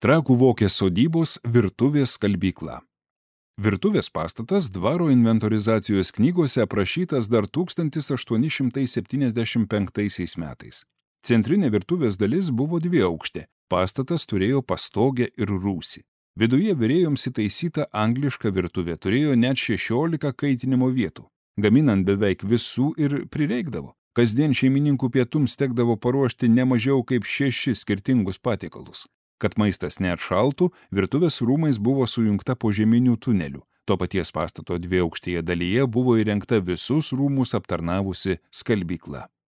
Trakų Vokės sodybos virtuvės skalbykla. Virtuvės pastatas dvaro inventorizacijos knygose aprašytas dar 1875 metais. Centrinė virtuvės dalis buvo dviaukštė, pastatas turėjo pastogę ir rūsį. Viduje virėjoms įtaisyta angliška virtuvė turėjo net 16 kaitinimo vietų. Gaminant beveik visų ir prireikdavo. Kasdien šeimininkų pietums tekdavo paruošti ne mažiau kaip 6 skirtingus patiekalus. Kad maistas neatšaltų, virtuvės rūmais buvo sujungta požeminių tunelių. To paties pastato dviaukštėje dalyje buvo įrengta visus rūmus aptarnavusi skalbykla.